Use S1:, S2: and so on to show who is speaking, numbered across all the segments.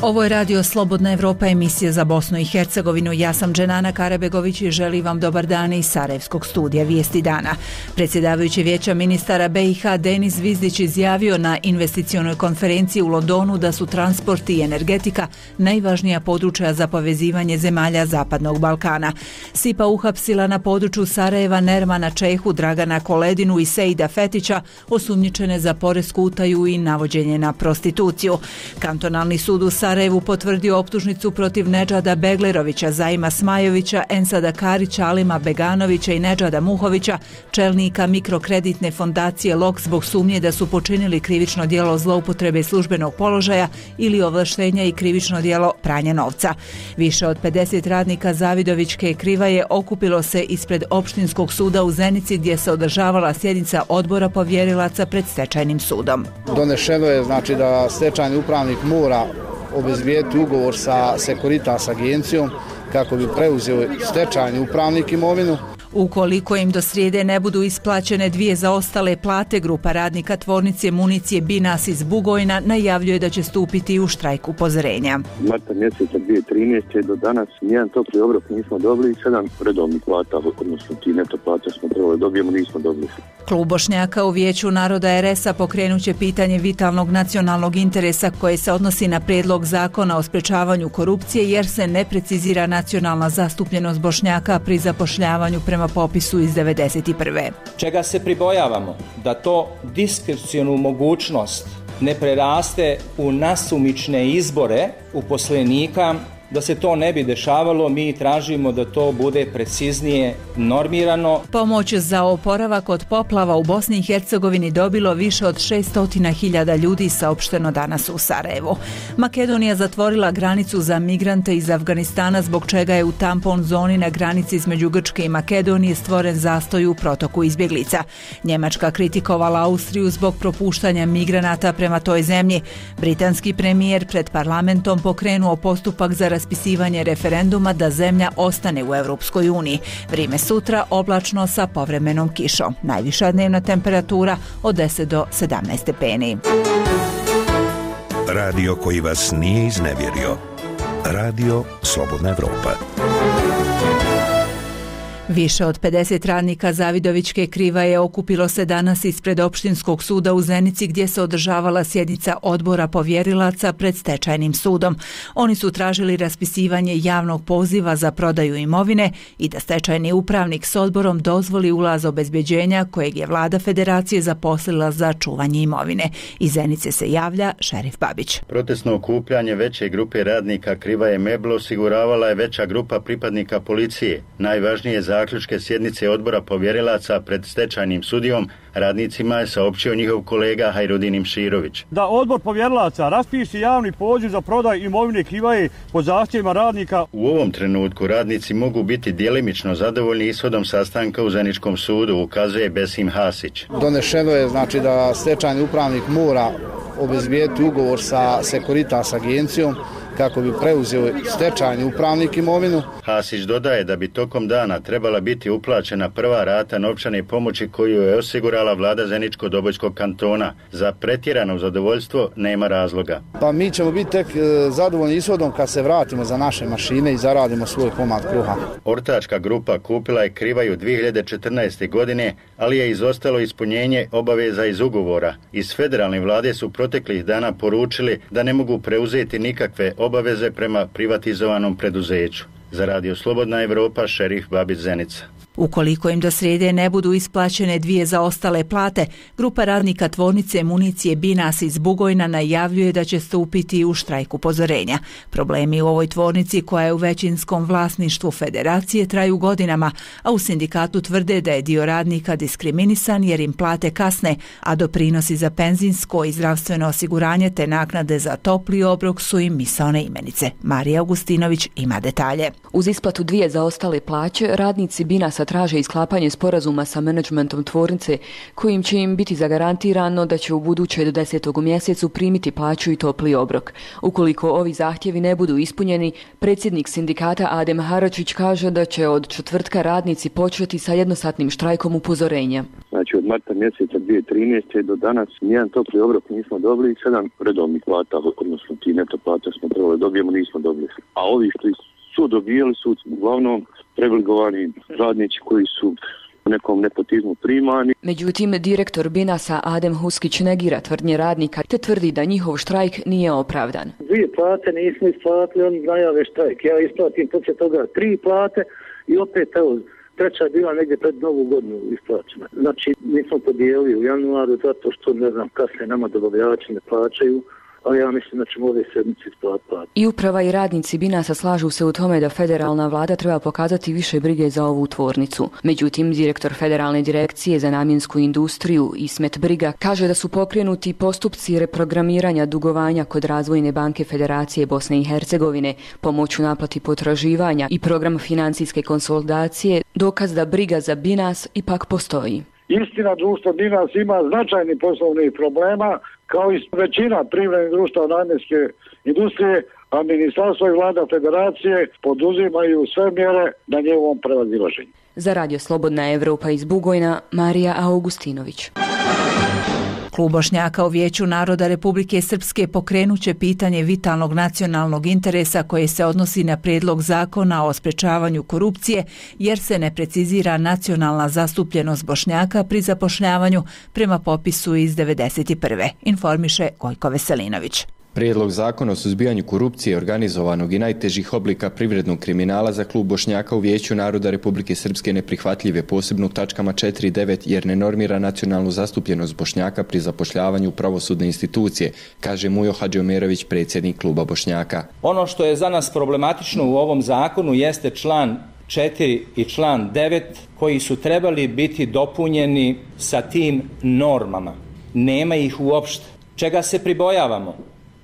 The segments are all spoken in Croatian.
S1: Ovo je Radio Slobodna Evropa, emisija za Bosnu i Hercegovinu. Ja sam Dženana Karabegović i želim vam dobar dan iz Sarajevskog studija Vijesti dana. Predsjedavajući Vijeća ministara BiH Denis Zvizdić izjavio na investicionoj konferenciji u Londonu da su transport i energetika najvažnija područja za povezivanje zemalja Zapadnog Balkana. SIPA uhapsila na području Sarajeva Nermana Čehu, Dragana Koledinu i Sejda Fetića, osumnjičene za poresku utaju i navođenje na prostituciju. Kantonalni sud u Sarajevu potvrdio optužnicu protiv Nedžada Beglerovića, Zaima Smajovića, Ensada Karića, Alima Beganovića i Nedžada Muhovića, čelnika mikrokreditne fondacije LOK, zbog sumnje da su počinili krivično djelo zloupotrebe službenog položaja ili ovlaštenja i krivično djelo pranja novca. Više od 50 radnika Zavidovićke Krivaje okupilo se ispred opštinskog suda u Zenici, gdje se održavala sjednica odbora povjerilaca pred stečajnim sudom.
S2: Donešeno je da stečajni upravnik mora obezbijediti ugovor sa Securitas agencijom kako bi preuzeo stečajni upravnik imovinu.
S1: Ukoliko im do srijede ne budu isplaćene 2 zaostale plate, grupa radnika tvornice municije Binas iz Bugojna najavljuje da će stupiti u štrajk upozorenja.
S3: Marta mjeseca 2013. do danas nijedan topli obrok nismo dobili, 7 redovnih plata, odnosno ti neto plata smo trebali dobijemo, nismo dobili.
S1: Klub Bošnjaka u Vijeću naroda RS-a pokrenut će pitanje vitalnog nacionalnog interesa koje se odnosi na prijedlog zakona o sprečavanju korupcije, jer se ne precizira nacionalna zastupljenost Bošnjaka pri zapošljavanju prema popisu iz 1991.
S4: Čega se pribojavamo? Da to diskrecionu mogućnost ne preraste u nasumične izbore uposlenika. Da se to ne bi dešavalo, mi tražimo da to bude preciznije normirano.
S1: Pomoć za oporavak od poplava u Bosni i Hercegovini dobilo više od 600.000 ljudi, saopšteno danas u Sarajevu. Makedonija zatvorila granicu za migrante iz Afganistana, zbog čega je u tampon zoni na granici između Grčke i Makedonije stvoren zastoj u protoku izbjeglica. Njemačka kritikovala Austriju zbog propuštanja migranata prema toj zemlji. Britanski premijer pred parlamentom pokrenuo postupak za raspisivanje referenduma da zemlja ostane u Europskoj uniji. Vrijeme sutra oblačno sa povremenom kišom. Najviša dnevna temperatura od 10 do 17 stepeni.
S5: Radio koji vas nije iznevjerio. Radio Slobodna Evropa.
S1: Više od 50 radnika Zavidovićke Krivaje okupilo se danas ispred opštinskog suda u Zenici, gdje se održavala sjednica odbora povjerilaca pred stečajnim sudom. Oni su tražili raspisivanje javnog poziva za prodaju imovine i da stečajni upravnik s odborom dozvoli ulaz obezbeđenja kojeg je vlada federacije zaposlila za čuvanje imovine. Iz Zenice se javlja Šerif Babić.
S6: Protestno okupljanje veće grupe radnika Krivaje Meblo osiguravala je veća grupa pripadnika policije. Najvažnije zaključke sjednice odbora povjerilaca pred stečajnim sudijom radnicima je saopćio njihov kolega Hajrudin Imširović.
S7: Da odbor povjerilaca raspiše javni poziv za prodaj imovine Krivaje po zahtjevima radnika.
S6: U ovom trenutku radnici mogu biti djelimično zadovoljni ishodom sastanka u Zeničkom sudu, ukazuje Besim Hasić.
S2: Donešeno je da stečajni upravnik mora obezbijediti ugovor sa Securitas agencijom kako bi preuzeo stečajni upravnik imovinu.
S6: Hasić dodaje da bi tokom dana trebala biti uplaćena prva rata novčane pomoći koju je osigurala vlada Zeničko-Dobojskog kantona. Za pretjerano zadovoljstvo nema razloga.
S2: Pa mi ćemo biti tek zadovoljni ishodom kad se vratimo za naše mašine i zaradimo svoj komad kruha.
S6: Ortačka grupa kupila je Krivaju 2014. godine, ali je izostalo ispunjenje obaveza iz ugovora. Iz federalne vlade su proteklih dana poručili da ne mogu preuzeti nikakve obaveze prema privatizovanom preduzeću. Za Radio Slobodna Evropa, Šerif Babić, Zenica.
S1: Ukoliko im do srijede ne budu isplaćene 2 zaostale plate, grupa radnika tvornice municije Binas iz Bugojna najavljuje da će stupiti u štrajk upozorenja. Problemi u ovoj tvornici, koja je u većinskom vlasništvu federacije, traju godinama, a u sindikatu tvrde da je dio radnika diskriminisan jer im plate kasne, a doprinosi za penzijsko i zdravstveno osiguranje te naknade za topli obrok su im misaone imenice. Marija Augustinović ima detalje.
S8: Uz isplatu 2 zaostale plaće, radnici Binasa traže isklapanje sporazuma sa menadžmentom tvornice kojim će im biti zagarantirano da će u buduće do 10. mjesecu primiti plaću i topli obrok. Ukoliko ovi zahtjevi ne budu ispunjeni, predsjednik sindikata Adem Haračić kaže da će od četvrtka radnici početi sa jednosatnim štrajkom upozorenja.
S3: Znači od marta mjeseca 2013. do danas nijedan topli obrok nismo dobili, 7 redovnih plata, odnosno ti neto plata smo trebali dobijemo, nismo dobili. A ovi što su dobijali su uglavnom privilegovani radnici koji su u nekom nepotizmu primani.
S8: Međutim, direktor Binasa Adem Huskić negira tvrdnje radnika te tvrdi da njihov štrajk nije opravdan.
S9: 2 plate nismo isplatili, oni najave štrajk. Ja isplatim poslije toga 3 plate i opet evo, treća je bila negdje pred novu godinu isplaćena. Znači, nismo podijelili u januaru zato što, ne znam, kasnije nama dobavljači ne plaćaju, ali ja mislim da ćemo ove sedmice isplatiti.
S8: I uprava i radnici Binasa slažu se u tome da federalna vlada treba pokazati više brige za ovu tvornicu. Međutim, direktor Federalne direkcije za namjensku industriju Ismet Briga kaže da su pokrenuti postupci reprogramiranja dugovanja kod Razvojne banke Federacije Bosne i Hercegovine, pomoć u naplati potraživanja i program financijske konsolidacije, dokaz da briga za Binas ipak postoji.
S9: Istina, društvo Binas ima značajnih poslovnih problema, kao i većina privrednih društva namjenske industrije, a ministarstvo i vlada federacije poduzimaju sve mjere na njegovom prevazilaženju.
S8: Za Radio Slobodna Evropa iz Bugojna, Marija Augustinović.
S1: Klub Bošnjaka u Vijeću naroda Republike Srpske pokrenuće pitanje vitalnog nacionalnog interesa koje se odnosi na prijedlog zakona o sprečavanju korupcije jer se ne precizira nacionalna zastupljenost Bošnjaka pri zapošljavanju prema popisu iz 1991. Informiše Gojko Veselinović.
S10: Prijedlog zakona o suzbijanju korupcije, organizovanog i najtežih oblika privrednog kriminala za klub Bošnjaka u Vijeću naroda Republike Srpske neprihvatljive posebno u tačkama 4 i 9 jer ne normira nacionalnu zastupljenost Bošnjaka pri zapošljavanju pravosudne institucije, kaže Mujo Hadžiomerović, predsjednik kluba Bošnjaka.
S4: Ono što je za nas problematično u ovom zakonu jeste član 4 i član 9 koji su trebali biti dopunjeni sa tim normama. Nema ih uopšte. Čega se pribojavamo?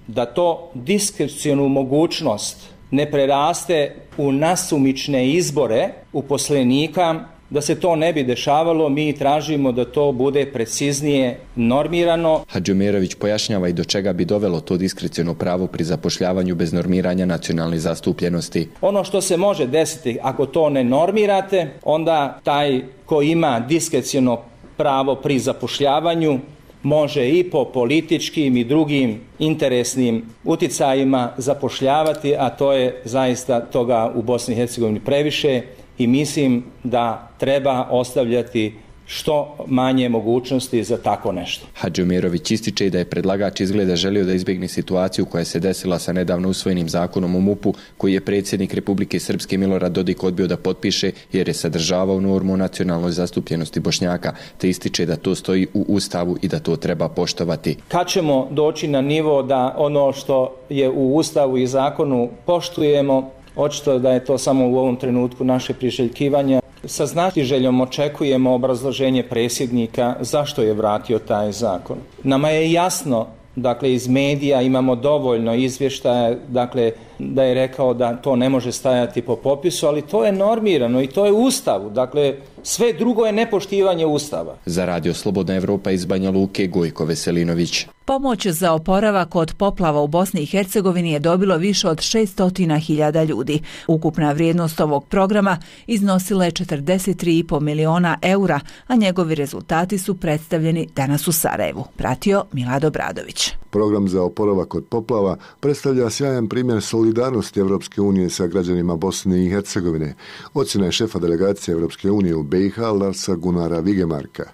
S4: Da to diskrecionu mogućnost ne preraste u nasumične izbore uposlenika, da se to ne bi dešavalo, mi tražimo da to bude preciznije normirano.
S10: Hadžiomerović pojašnjava i do čega bi dovelo to diskreciono pravo pri zapošljavanju bez normiranja nacionalne zastupljenosti.
S4: Ono što se može desiti ako to ne normirate, onda taj ko ima diskreciono pravo pri zapošljavanju može i po političkim i drugim interesnim uticajima zapošljavati, a to je zaista toga u Bosni i Hercegovini previše i mislim da treba ostavljati što manje mogućnosti za tako nešto.
S10: Hadžiomerović ističe da je predlagač izgleda želio da izbjegne situaciju koja se desila sa nedavno usvojenim zakonom o MUP-u koji je predsjednik Republike Srpske Milorad Dodik odbio da potpiše jer je sadržavao normu o nacionalnoj zastupljenosti Bošnjaka, te ističe da to stoji u Ustavu i da to treba poštovati.
S4: Kad ćemo doći na nivo da ono što je u Ustavu i zakonu poštujemo, očito da je to samo u ovom trenutku naše priželjkivanje. Sa znatiželjom očekujemo obrazloženje predsjednika zašto je vratio taj zakon. Nama je jasno, dakle iz medija imamo dovoljno izvještaja, dakle da je rekao da to ne može stajati po popisu, ali to je normirano i to je u Ustavu, dakle sve drugo je nepoštivanje Ustava.
S10: Za Radio Slobodna Evropa iz Banja Luke, Gojko Veselinović.
S1: Pomoć za oporavak od poplava u Bosni i Hercegovini je dobilo više od 600.000 ljudi. Ukupna vrijednost ovog programa iznosila je 43,5 miliona eura, a njegovi rezultati su predstavljeni danas u Sarajevu. Pratio Milad Obradović.
S11: Program za oporavak od poplava predstavlja sjajan primjer solidarnosti Evropske unije sa građanima Bosne i Hercegovine. Ocjena je šefa delegacije Evropske unije u BiH Larsa Gunara Vigemarka.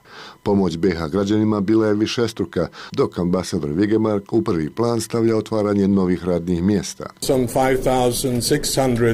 S11: Pomoć BiH građanima bila je višestruka, dok ambasador Vigemark u prvi plan stavlja otvaranje novih radnih mjesta.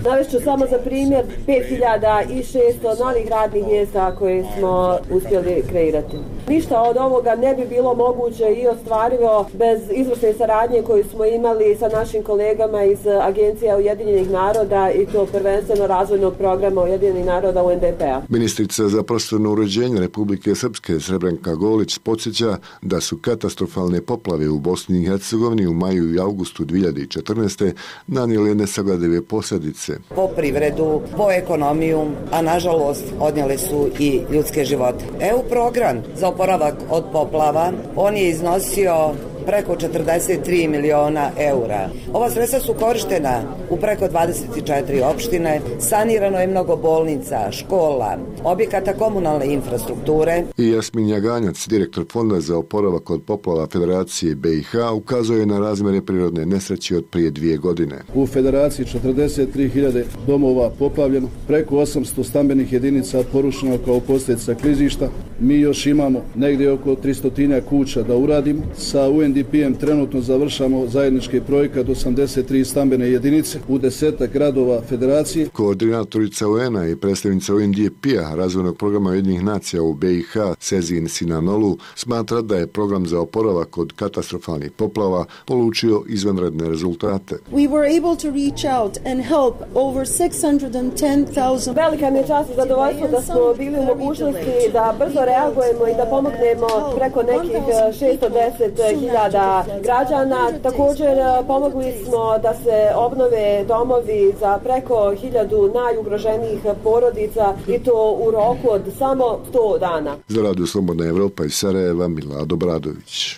S12: Navešću samo za primjer 5.600 novih radnih mjesta koje smo uspjeli kreirati. Ništa od ovoga ne bi bilo moguće i ostvarivo bez izvrsne saradnje koju smo imali sa našim kolegama iz agencija Ujedinjenih naroda i to prvenstveno razvojnog programa Ujedinjenih naroda UNDP-a.
S11: Ministrica za prostorno uređenje Republike Srpske Srebrenka Golić podsjeća da su katastrofalne poplave u Bosni i Hercegovini u maju i augustu 2014. nanijele nesagledive posljedice.
S13: Po privredu, po ekonomiju, a nažalost odnijele su i ljudske živote. EU program za oporavak od poplava, on je iznosio preko 43 miliona eura. Ova sredstva su korištena u preko 24 opštine, sanirano je mnogo bolnica, škola, objekata komunalne infrastrukture.
S11: I Jasmin Jaganjac, direktor Fonda za oporavak od poplava Federacije BiH, ukazuje na razmjere prirodne nesreće od prije 2 godine.
S2: U Federaciji 43.000 domova poplavljeno, preko 800 stambenih jedinica porušeno kao posljedica klizišta. Mi još imamo negdje oko 300 kuća da uradimo. Sa UNDP-em trenutno završamo zajednički projekat 83 stambene jedinice u 10 gradova Federacije.
S11: Koordinatorica UN-a i predstavnica UNDP-a razvojnog programa Ujedinjenih nacija u BiH Sezin Sinanolu smatra da je program za oporavak od katastrofalnih poplava polučio izvanredne rezultate.
S14: We were able to reach out and help over 610,000.
S12: Velika mi je čast i zadovoljstvo da smo bili u mogućnosti da brzo reagujemo i da pomognemo preko nekih 610.000 građana. Također pomogli smo da se obnove domovi za preko 1000 najugroženijih porodica i to u roku od samo 100 dana.
S11: Za Radio Slobodna Evropa iz Sarajeva, Milado Bradović.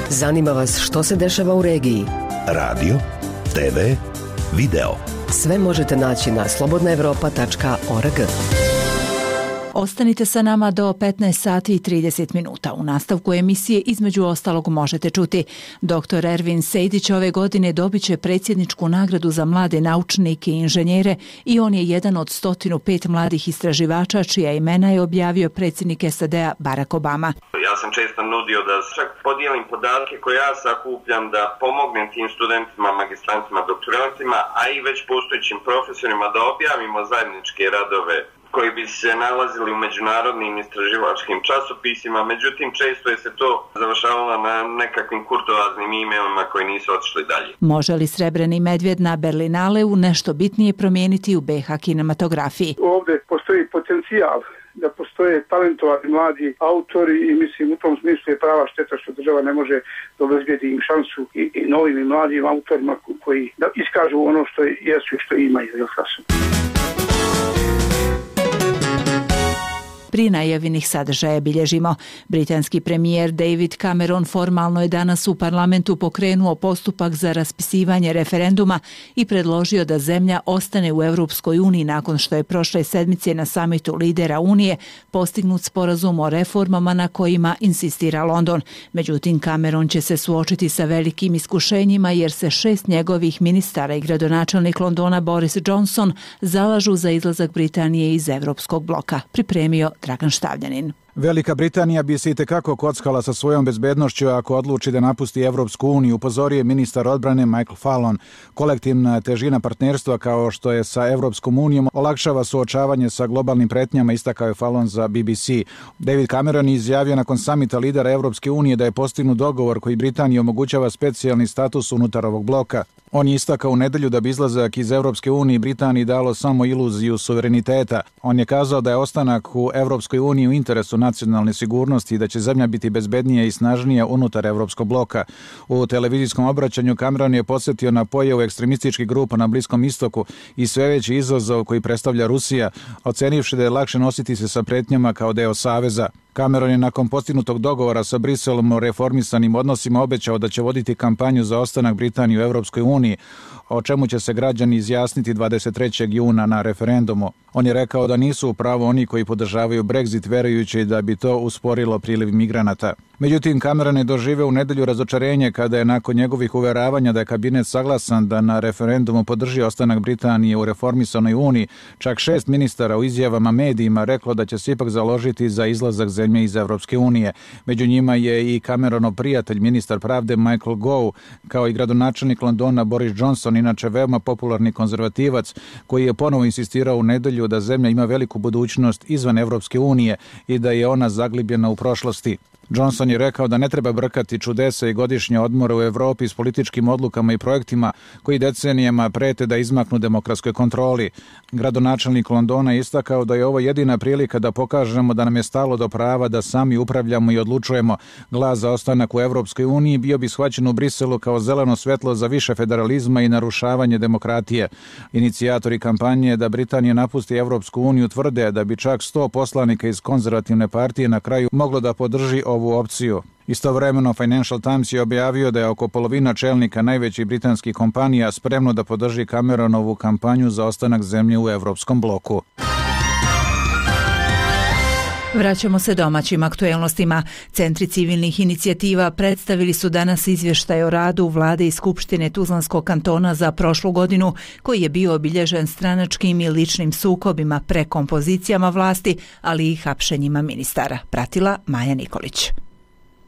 S15: Zanima vas što se dešava u regiji?
S5: Radio, TV, video.
S15: Sve možete naći na slobodnaevropa.org.
S1: Ostanite sa nama do 15 sati i 30 minuta. U nastavku emisije između ostalog možete čuti. Dr. Ervin Sejdić ove godine dobit će predsjedničku nagradu za mlade naučnike i inženjere i on je jedan od 105 mladih istraživača čija imena je objavio predsjednik SAD-a Barack Obama.
S16: Ja sam često nudio da čak podijelim podatke koje ja sakupljam, da pomognem tim studentima, magistrantima, doktorantima, a i već postojećim profesorima da objavimo zajedničke radove koji bi se nalazili u međunarodnim istraživačkim časopisima, međutim često je se to završavalo na nekakvim kurtoaznim emailima koji nisu otišli dalje.
S1: Može li Srebreni medvjed na Berlinaleu nešto bitnije promijeniti u BiH kinematografiji?
S17: Ovdje postoji potencijal da postoje talentovani mladi autori i mislim u tom smislu je prava šteta što država ne može obezbijedi im šansu i novim i mladim autorima koji da iskažu ono što jesu i što imaju.
S1: Prije najavljenih sadržaja bilježimo. Britanski premijer David Cameron formalno je danas u parlamentu pokrenuo postupak za raspisivanje referenduma i predložio da zemlja ostane u Europskoj uniji nakon što je prošle sedmice na samitu lidera Unije postignut sporazum o reformama na kojima insistira London. Međutim, Cameron će se suočiti sa velikim iskušenjima jer se 6 njegovih ministara i gradonačelnik Londona Boris Johnson zalažu za izlazak Britanije iz Europskog bloka. Pripremio Dragan Štavljanin.
S18: Velika Britanija bi se itekako kockala sa svojom bezbednošću ako odluči da napusti Evropsku uniju, upozorio je ministar odbrane Michael Fallon. Kolektivna težina partnerstva kao što je sa Evropskom unijom olakšava suočavanje sa globalnim pretnjama, istakao je Fallon za BBC. David Cameron izjavio nakon samita lidera Evropske unije da je postignut dogovor koji Britaniji omogućava specijalni status unutar ovog bloka. On je istakao u nedelju da bi izlazak iz Evropske unije Britaniji dalo samo iluziju suvereniteta. On je kazao da je ostanak u Evropskoj uniji u interesu nacionalne sigurnosti i da će zemlja biti bezbednija i snažnija unutar Evropskog bloka. U televizijskom obraćanju Cameron je podsjetio na pojavu ekstremističkih grupa na Bliskom istoku i sve veći izazov koji predstavlja Rusija, ocenivši da je lakše nositi se sa pretnjama kao deo saveza. Cameron je nakon postignutog dogovora sa Briselom o reformisanim odnosima obećao da će voditi kampanju za ostanak Britanije u Evropskoj uniji, o čemu će se građani izjasniti 23. juna na referendumu. On je rekao da nisu u pravu oni koji podržavaju Brexit, verujući da bi to usporilo priliv migranata. Međutim, Cameron je doživeo u nedelju razočarenje kada je nakon njegovih uveravanja da je kabinet saglasan da na referendumu podrži ostanak Britanije u reformisanoj uniji, čak 6 ministara u izjavama medijima reklo da će se ipak založiti za izlazak zemlje iz Evropske unije. Među njima je i Cameronov prijatelj, ministar pravde Michael Gove, kao i gradonačelnik Londona Boris Johnson, inače veoma popularni konzervativac, koji je ponovo insistirao u nedelju da zemlja ima veliku budućnost izvan Evropske unije i da je ona zaglibljena u prošlosti. Johnson je rekao da ne treba brkati čudesa i godišnje odmore u Evropi s političkim odlukama i projektima koji decenijama prete da izmaknu demokratskoj kontroli. Gradonačelnik Londona je istakao da je ovo jedina prilika da pokažemo da nam je stalo do prava da sami upravljamo i odlučujemo. Glas za ostanak u Evropskoj uniji bio bi shvaćen u Briselu kao zeleno svetlo za više federalizma i narušavanje demokratije. Inicijatori kampanje da Britanija napusti Evropsku uniju tvrde da bi čak 100 poslanika iz konzervativne partije na kraju moglo da podrži ovu opciju. Istovremeno Financial Times je objavio da je oko polovina čelnika najvećih britanskih kompanija spremno da podrži Cameronovu kampanju za ostanak zemlje u evropskom bloku.
S1: Vraćamo se domaćim aktuelnostima. Centri civilnih inicijativa predstavili su danas izvještaj o radu Vlade i Skupštine Tuzlanskog kantona za prošlu godinu, koji je bio obilježen stranačkim i ličnim sukobima, prekompozicijama vlasti, ali i hapšenjima ministara. Pratila Maja Nikolić.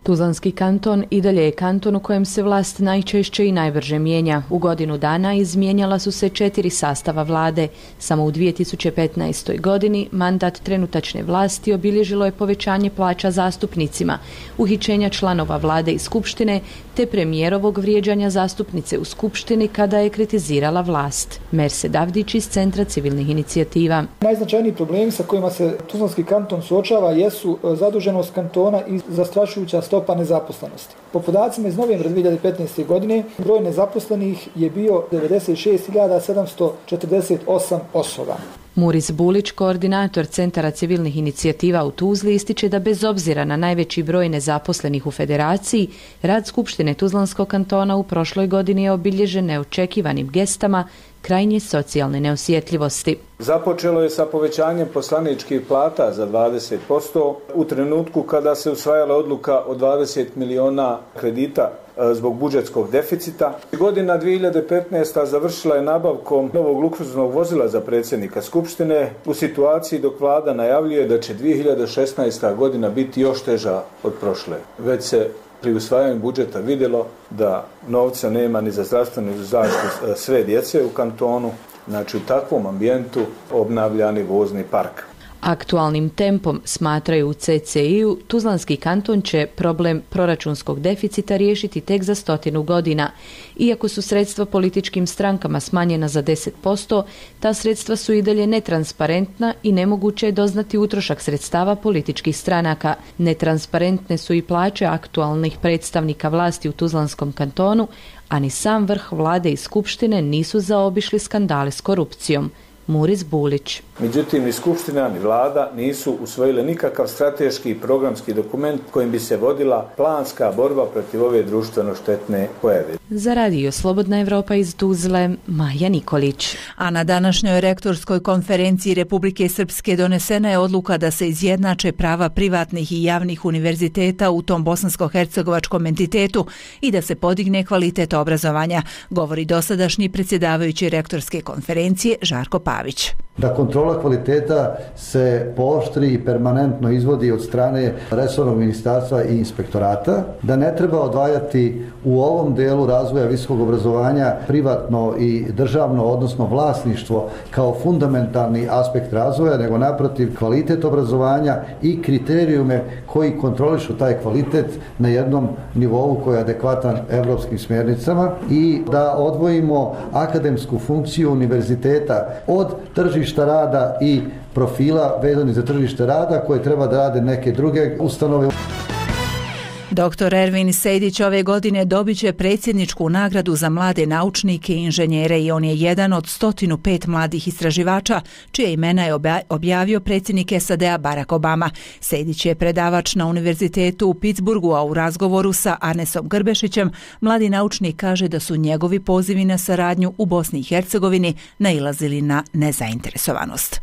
S19: Tuzlanski kanton i dalje je kanton u kojem se vlast najčešće i najbrže mijenja. U godinu dana izmijenjala su se 4 sastava vlade. Samo u 2015. godini mandat trenutačne vlasti obilježilo je povećanje plaća zastupnicima, uhićenja članova vlade i skupštine, te premijerovog vrijeđanja zastupnice u skupštini kada je kritizirala vlast. Merse Davdić iz Centra civilnih inicijativa.
S20: Najznačajniji problemi sa kojima se Tuzlanski kanton suočava jesu zaduženost kantona i zastrašujuća stopa nezaposlenosti. Po podacima iz novembra 2015. godine broj nezaposlenih je bio 96.748 osoba.
S19: Muris Bulić, koordinator Centara civilnih inicijativa u Tuzli, ističe da bez obzira na najveći broj nezaposlenih u federaciji, rad Skupštine Tuzlanskog kantona u prošloj godini je obilježen neočekivanim gestama krajnje socijalne neosjetljivosti.
S21: Započelo je sa povećanjem poslaničkih plata za 20% u trenutku kada se usvajala odluka o 20 miliona kredita zbog budžetskog deficita. Godina 2015. završila je nabavkom novog luksuznog vozila za predsjednika Skupštine u situaciji dok vlada najavljuje da će 2016. godina biti još teža od prošle. Već se pri usvajanju budžeta vidjelo da novca nema ni za zdravstvenu zaštitu sve djece u kantonu. Znači u takvom ambijentu obnavljani vozni park.
S19: Aktualnim tempom, smatraju u CCI-u, Tuzlanski kanton će problem proračunskog deficita riješiti tek za 100 godina. Iako su sredstva političkim strankama smanjena za 10%, ta sredstva su i dalje netransparentna i nemoguće je doznati utrošak sredstava političkih stranaka. Netransparentne su i plaće aktualnih predstavnika vlasti u Tuzlanskom kantonu, a ni sam vrh vlade i skupštine nisu zaobišli skandale s korupcijom. Muris Bulić.
S21: Međutim, ni Skupština ni vlada nisu usvojile nikakav strateški i programski dokument kojim bi se vodila planska borba protiv ove društveno štetne pojave.
S19: Za Radio Slobodna Evropa iz Tuzle, Maja Nikolić.
S1: A na današnjoj rektorskoj konferenciji Republike Srpske donesena je odluka da se izjednače prava privatnih i javnih univerziteta u tom bosansko-hercegovačkom entitetu i da se podigne kvalitet obrazovanja, govori dosadašnji predsjedavajući rektorske konferencije Žarko Pavić.
S22: Da kontrola kvaliteta se pooštri i permanentno izvodi od strane resornog ministarstva i inspektorata, da ne treba odvajati u ovom delu razvoja visokog obrazovanja privatno i državno, odnosno vlasništvo kao fundamentalni aspekt razvoja, nego naprotiv kvalitet obrazovanja i kriterijume koji kontrolišu taj kvalitet na jednom nivou koji je adekvatan evropskim smjernicama i da odvojimo akademsku funkciju univerziteta od tržišta rada i profila vezanih za tržište rada koje treba da rade neke druge ustanove.
S1: Dr. Ervin Sejdić ove godine dobit će predsjedničku nagradu za mlade naučnike i inženjere i on je jedan od 105 mladih istraživača čije imena je objavio predsjednik SAD-a Barack Obama. Sejdić je predavač na univerzitetu u Pittsburghu, a u razgovoru sa Arnesom Grbešićem mladi naučnik kaže da su njegovi pozivi na saradnju u Bosni i Hercegovini nailazili na nezainteresovanost.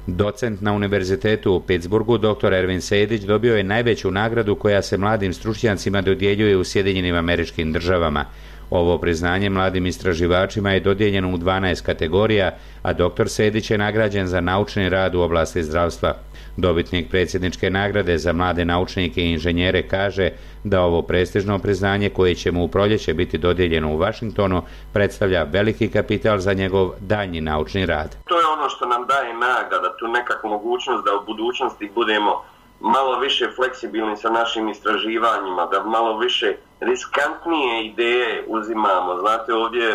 S23: Docent na univerzitetu u Pittsburghu, dr. Ervin Sejdić, dobio je najveću nagradu koja se mladim stručnjacima dodjeljuje u Sjedinjenim Američkim Državama. Ovo priznanje mladim istraživačima je dodijeljeno u 12 kategorija, a dr. Sejdić je nagrađen za naučni rad u oblasti zdravstva. Dobitnik predsjedničke nagrade za mlade naučnike i inženjere kaže da ovo prestižno priznanje koje će mu u proljeće biti dodijeljeno u Vašingtonu predstavlja veliki kapital za njegov daljnji naučni rad.
S16: To je ono što nam daje nagrada, tu nekakvu mogućnost da u budućnosti budemo malo više fleksibilni sa našim istraživanjima, da malo više riskantnije ideje uzimamo. Znate, ovdje,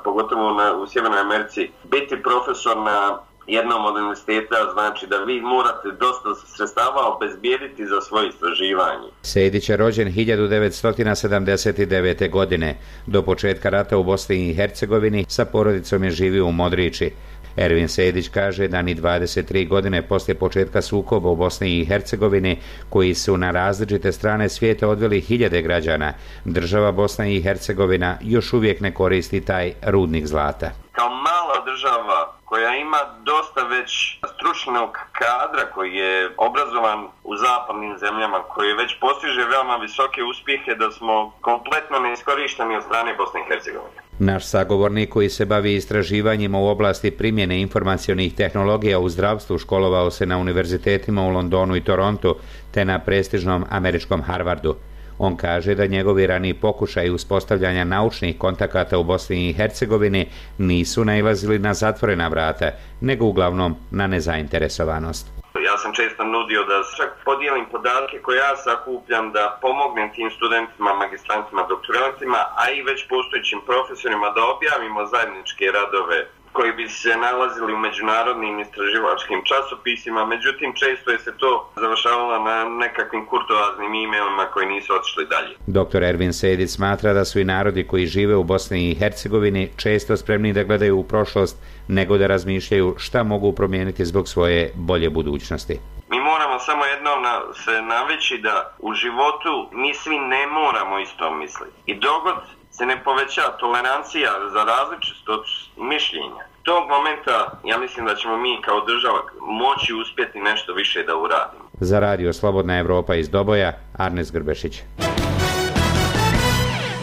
S16: pogotovo u Sjevernoj Americi, biti profesor na jednom od univerziteta znači da vi morate dosta sredstava obezbijediti za svoje istraživanje.
S23: Sejdić je rođen 1979. godine. Do početka rata u Bosni i Hercegovini sa porodicom je živio u Modriči. Ervin Sejdić kaže da ni 23 godine poslije početka sukoba u Bosni i Hercegovini, koji su na različite strane svijeta odveli hiljade građana, država Bosna i Hercegovina još uvijek ne koristi taj rudnik zlata.
S16: Kao mala država koja ima dosta već stručnog kadra, koji je obrazovan u zapadnim zemljama, koji već postiže veoma visoke uspjehe, da smo kompletno neiskorišteni od strane Bosne i Hercegovine.
S23: Naš sagovornik koji se bavi istraživanjima u oblasti primjene informacionih tehnologija u zdravstvu školovao se na univerzitetima u Londonu i Torontu, te na prestižnom američkom Harvardu. On kaže da njegovi raniji pokušaji uspostavljanja naučnih kontakata u Bosni i Hercegovini nisu nailazili na zatvorena vrata, nego uglavnom na nezainteresovanost.
S16: Ja sam često nudio da čak podijelim podatke koje ja sakupljam, da pomognem tim studentima, magistrantima, doktorantima, a i već postojećim profesorima da objavimo zajedničke radove koji bi se nalazili u međunarodnim istraživačkim časopisima, međutim često je se to završavalo na nekakvim kurtoaznim emailima koji nisu otišli dalje.
S23: Dr. Ervin Sejdić smatra da su i narodi koji žive u Bosni i Hercegovini često spremni da gledaju u prošlost nego da razmišljaju šta mogu promijeniti zbog svoje bolje budućnosti.
S16: Mi moramo samo jednom se navići da u životu mi svi ne moramo isto misliti. I dogod se ne poveća tolerancija za različitost mišljenja, tog momenta ja mislim da ćemo mi kao država moći uspjeti nešto više da uradimo.
S23: Za radio Slobodna Evropa iz Doboja, Arnes Grbešić.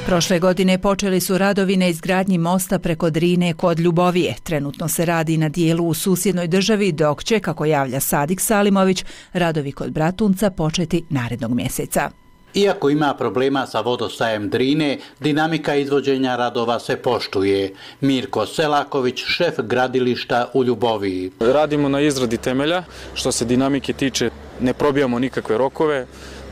S1: Prošle godine počeli su radovi na izgradnji mosta preko Drine kod Ljubovije. Trenutno se radi na dijelu u susjednoj državi, dok će, kako javlja Sadik Salimović, radovi kod Bratunca početi narednog mjeseca.
S3: Iako ima problema sa vodostajem Drine, dinamika izvođenja radova se poštuje. Mirko Selaković, šef gradilišta u Ljuboviji.
S6: Radimo na izradi temelja, što se dinamike tiče ne probijamo nikakve rokove.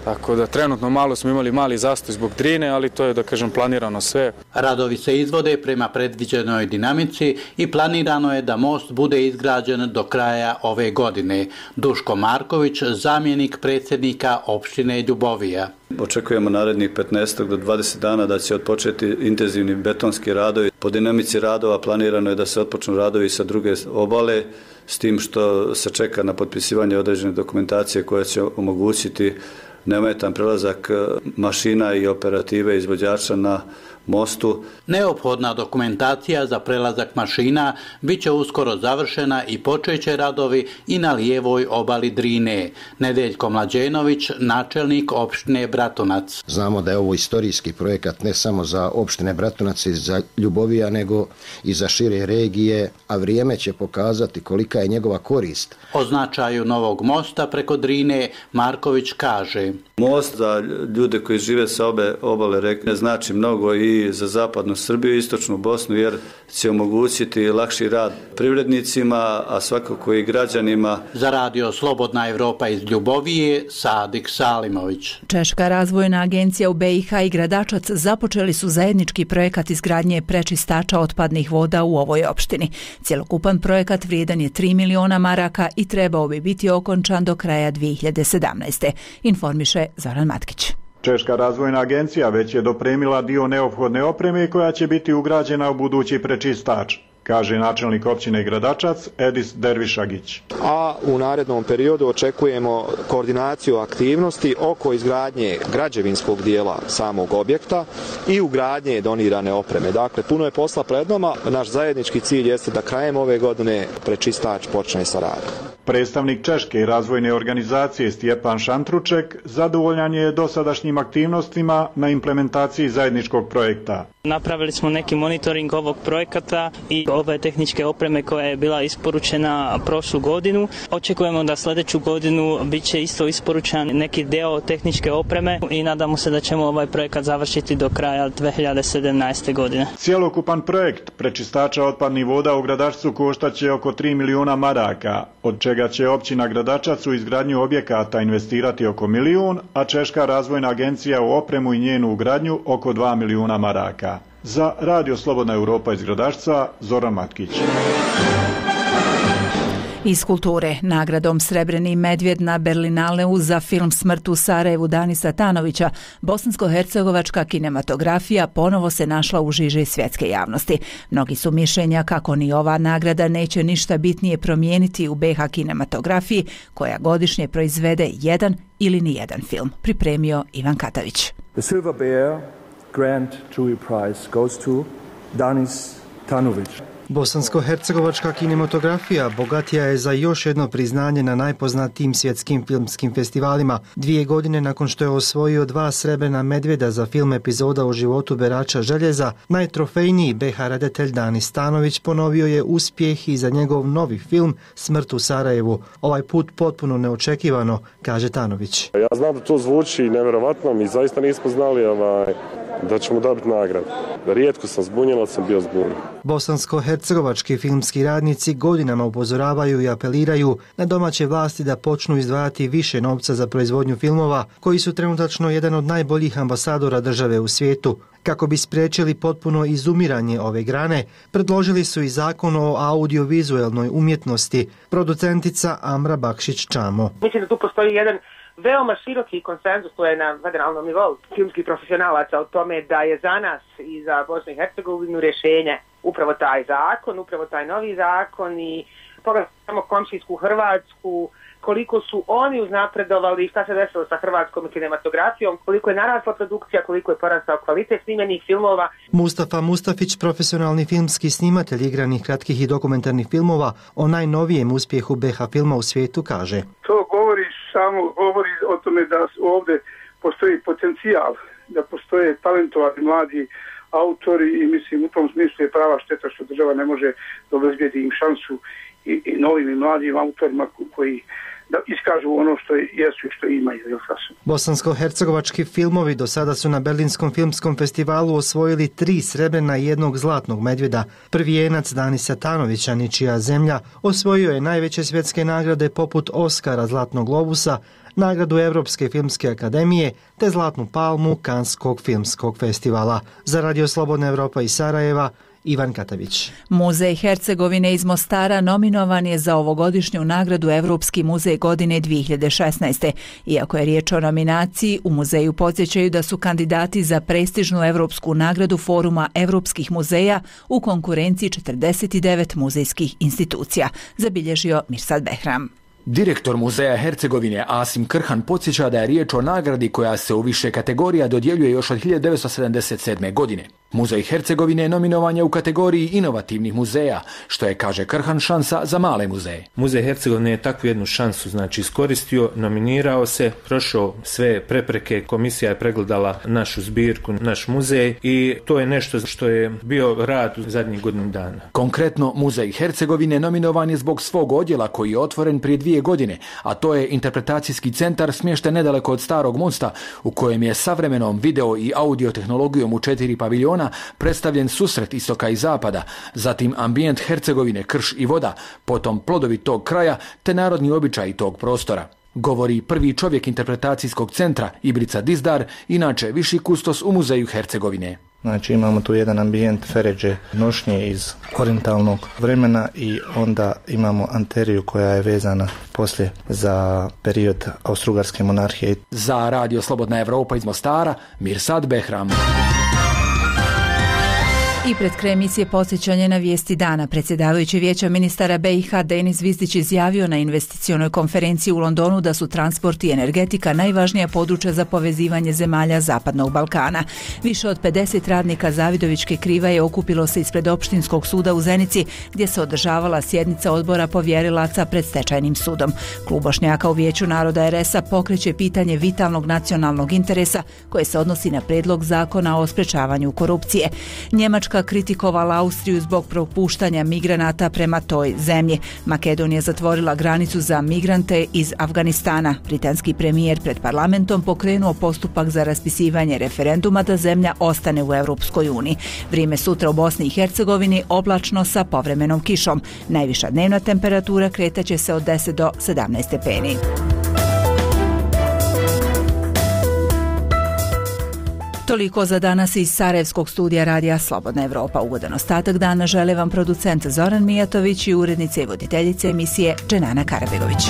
S6: Tako da trenutno malo smo imali mali zastoj zbog Drine, ali to je, da kažem, planirano sve.
S3: Radovi se izvode prema predviđenoj dinamici i planirano je da most bude izgrađen do kraja ove godine. Duško Marković, zamjenik predsjednika opštine Ljubovija.
S7: Očekujemo narednih 15 do 20 dana da će odpočeti intenzivni betonski radovi. Po dinamici radova planirano je da se otpočnu radovi sa druge obale, s tim što se čeka na potpisivanje određene dokumentacije koja će omogućiti neometan prelazak mašina i operative izvođača na mostu.
S3: Neophodna dokumentacija za prelazak mašina bit će uskoro završena i počeće radovi i na lijevoj obali Drine. Nedeljko Mlađenović, načelnik opštine Bratunac.
S24: Znamo da je ovo istorijski projekat ne samo za opštine Bratunac i za Ljubovija, nego i za šire regije, a vrijeme će pokazati kolika je njegova korist.
S3: O značaju novog mosta preko Drine Marković kaže:
S7: Most za ljude koji žive sa obe obale reke znači mnogo i za zapadnu Srbiju i istočnu Bosnu, jer će omogućiti lakši rad privrednicima, a svakako i građanima.
S3: Za radio Slobodna Evropa iz Ljubovije, Sadik Salimović.
S1: Češka razvojna agencija u BiH i Gradačac započeli su zajednički projekat izgradnje prečistača otpadnih voda u ovoj opštini. Cjelokupan projekat vrijedan je 3 miliona maraka i trebao bi biti okončan do kraja 2017. Informiše Zoran Matkić.
S25: Češka razvojna agencija već je dopremila dio neophodne opreme koja će biti ugrađena u budući prečistač, kaže načelnik općine Gradačac Edis Dervišagić.
S26: A u narednom periodu očekujemo koordinaciju aktivnosti oko izgradnje građevinskog dijela samog objekta i ugradnje donirane opreme. Dakle, puno je posla pred nama. Naš zajednički cilj jeste da krajem ove godine prečistač počne sa radom.
S25: Predstavnik Češke razvojne organizacije Stjepan Šantruček zadovoljan je dosadašnjim aktivnostima na implementaciji zajedničkog projekta.
S2: Napravili smo neki monitoring ovog projekata i ove tehničke opreme koja je bila isporučena prošlu godinu. Očekujemo da sljedeću godinu bit će isto isporučen neki deo tehničke opreme i nadamo se da ćemo ovaj projekat završiti do kraja 2017. godine.
S25: Cjelokupan projekt prečistača otpadnih voda u Gradačcu koštaće oko 3 milijuna maraka, od čega će općina Gradačac u izgradnju objekata investirati oko 1 milijun, a Češka razvojna agencija u opremu i njenu ugradnju oko 2 milijuna maraka. Za Radio Slobodna Europa iz Gradačca, Zoran Matkić.
S1: Iz kulture, nagradom Srebreni medvjed na Berlinaleu za film Smrt u Sarajevu Danisa Tanovića, bosansko-hercegovačka kinematografija ponovo se našla u žiži svjetske javnosti. Mnogi su mišljenja kako ni ova nagrada neće ništa bitnije promijeniti u BiH kinematografiji, koja godišnje proizvede jedan ili nijedan film. Pripremio Ivan Katavić.
S4: The Silver Bear Grand Jury Prize goes to Danis Tanović.
S8: Bosansko-hercegovačka kinematografija bogatija je za još jedno priznanje na najpoznatijim svjetskim filmskim festivalima. 2 godine nakon što je osvojio 2 srebrna medvjeda za film Epizoda o životu berača željeza, najtrofejniji BiH redatelj Danis Tanović ponovio je uspjeh i za njegov novi film Smrt u Sarajevu. Ovaj put potpuno neočekivano, kaže Tanović.
S9: Ja znam da to zvuči nevjerovatno, mi zaista nismo znali da ćemo dobiti nagradu. Rijetko sam zbunjen, ali sam bio zbunjen.
S8: Bosansko-hercegovački filmski radnici godinama upozoravaju i apeliraju na domaće vlasti da počnu izdvajati više novca za proizvodnju filmova, koji su trenutačno jedan od najboljih ambasadora države u svijetu. Kako bi spriječili potpuno izumiranje ove grane, predložili su i zakon o audiovizualnoj umjetnosti. Producentica Amra Bakšić-Čamo.
S10: Mislim da tu postoji jedan veoma široki konsenzus, to je na federalnom nivou filmskih profesionalaca o tome da je za nas i za Bosnu i Hercegovinu rješenje upravo taj zakon, upravo taj novi zakon i pogledamo komšijsku Hrvatsku, koliko su oni uznapredovali, šta se desilo sa hrvatskom kinematografijom, koliko je narasla produkcija, koliko je porastao kvalitet snimljenih filmova.
S8: Mustafa Mustafić, profesionalni filmski snimatelj igranih kratkih i dokumentarnih filmova, o najnovijem uspjehu BiH filma u svijetu kaže.
S17: To govori o tome da ovdje postoji potencijal, da postoje talentovani mladi autori i mislim u tom smislu je prava šteta što država ne može obezbijedi im šansu i novim i mladim autorima koji da iskažu ono što jesu i što imaju.
S8: Bosansko-hercegovački filmovi do sada su na Berlinskom filmskom festivalu osvojili 3 srebrna i 1 zlatnog medvjeda. Prvijenac Danisa Tanovića, Ničija zemlja, osvojio je najveće svjetske nagrade poput Oskara, Zlatnog globusa, nagradu Europske filmske akademije te Zlatnu palmu Kanskog filmskog festivala. Za Radio Slobodna Europa iz Sarajeva, Ivan Katavić.
S1: Muzej Hercegovine iz Mostara nominovan je za ovogodišnju nagradu Europski muzej godine 2016. Iako je riječ o nominaciji, u muzeju podsjećaju da su kandidati za prestižnu europsku nagradu Foruma europskih muzeja u konkurenciji 49 muzejskih institucija, zabilježio Mirsad Behram.
S13: Direktor Muzeja Hercegovine Asim Krhan podsjeća da je riječ o nagradi koja se u više kategorija dodjeljuje još od 1977. godine. Muzej Hercegovine nominovan je u kategoriji inovativnih muzeja, što je, kaže Krhan, šansa za male muzeje.
S27: Muzej Hercegovine je takvu jednu šansu iskoristio, nominirao se, prošao sve prepreke, komisija je pregledala našu zbirku, naš muzej i to je nešto što je bio rad u zadnjih godinu dana.
S13: Konkretno, Muzej Hercegovine nominovan je zbog svog odjela koji je otvoren prije 2 godine, a to je interpretacijski centar smješten nedaleko od Starog mosta, u kojem je savremenom video i audio tehnologijom u 4 paviljona predstavljen susret istoka i zapada, zatim ambijent Hercegovine, krš i voda, potom plodovi tog kraja te narodni običaji tog prostora. Govori prvi čovjek interpretacijskog centra, Ibrica Dizdar, inače viši kustos u Muzeju Hercegovine.
S28: Znači imamo tu jedan ambijent feređe nošnje iz orientalnog vremena i onda imamo anteriju koja je vezana poslije za period Austro-Ugarske monarhije.
S13: Za Radio Slobodna Europa iz Mostara, Mirsad Behram.
S1: I pred kraj emisije podsjećanje na vijesti dana. Predsjedavajući Vijeća ministara BiH Denis Zvizdić izjavio na investicionoj konferenciji u Londonu da su transport i energetika najvažnija područja za povezivanje zemalja Zapadnog Balkana. Više od 50 radnika Zavidovićke Krivaje okupilo se ispred Opštinskog suda u Zenici, gdje se održavala sjednica odbora povjerilaca pred stečajnim sudom. Klub Bošnjaka u Vijeću naroda RS-a pokreće pitanje vitalnog nacionalnog interesa koje se odnosi na prijedlog zakona o sprečavanju korupcije. Njemačka kritikovala Austriju zbog propuštanja migranata prema toj zemlji. Makedonija zatvorila granicu za migrante iz Afganistana. Britanski premijer pred parlamentom pokrenuo postupak za raspisivanje referenduma da zemlja ostane u Europskoj uniji. Vrijeme sutra u Bosni i Hercegovini oblačno sa povremenom kišom. Najviša dnevna temperatura kretaće se od 10 do 17 stepeni. Toliko za danas iz Sarajevskog studija radija Slobodna Evropa. Ugodan ostatak dana žele vam producent Zoran Mijatović i urednica i voditeljica emisije Dženana Karabegović.